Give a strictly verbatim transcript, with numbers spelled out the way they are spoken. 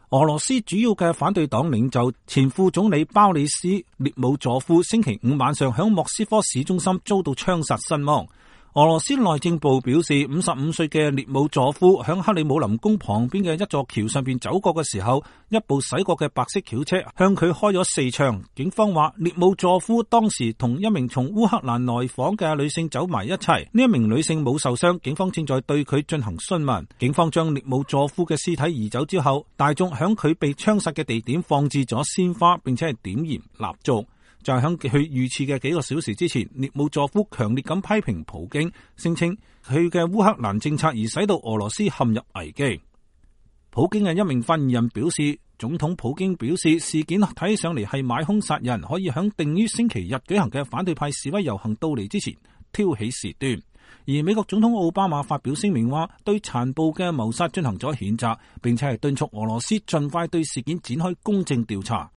俄羅斯主要嘅反對黨領袖前副總理鮑里斯列姆佐夫星期五晚上響莫斯科市中心遭到槍殺身亡。俄羅斯內政部表示，五十五歲嘅列姆佐夫響克里姆林宮旁邊嘅一座橋上邊走過嘅時候，一部駛過嘅白色轎車向佢開咗四槍。警方話，列姆佐夫當時同一名從烏克蘭來訪嘅女性走埋一齊，呢一名女性冇受傷，警方正在對佢進行詢問。警方將列姆佐夫嘅屍體移走之後，大眾響佢被槍殺嘅地點放置咗鮮花，並且係點燃蠟燭。就係喺佢遇刺嘅幾個小時之前，列姆佐夫強烈咁批評普京，聲稱佢嘅烏克蘭政策而使到俄羅斯陷入危機。普京嘅一名發言人表示，總統普京表示事件睇起上嚟係買兇殺人，可以喺定於星期日舉行嘅反對派示威遊行到嚟之前挑起事端。而美國總統奧巴馬發表聲明話，對殘暴嘅謀殺進行咗譴責，並且係敦促俄羅斯盡快對事件展開公正調查。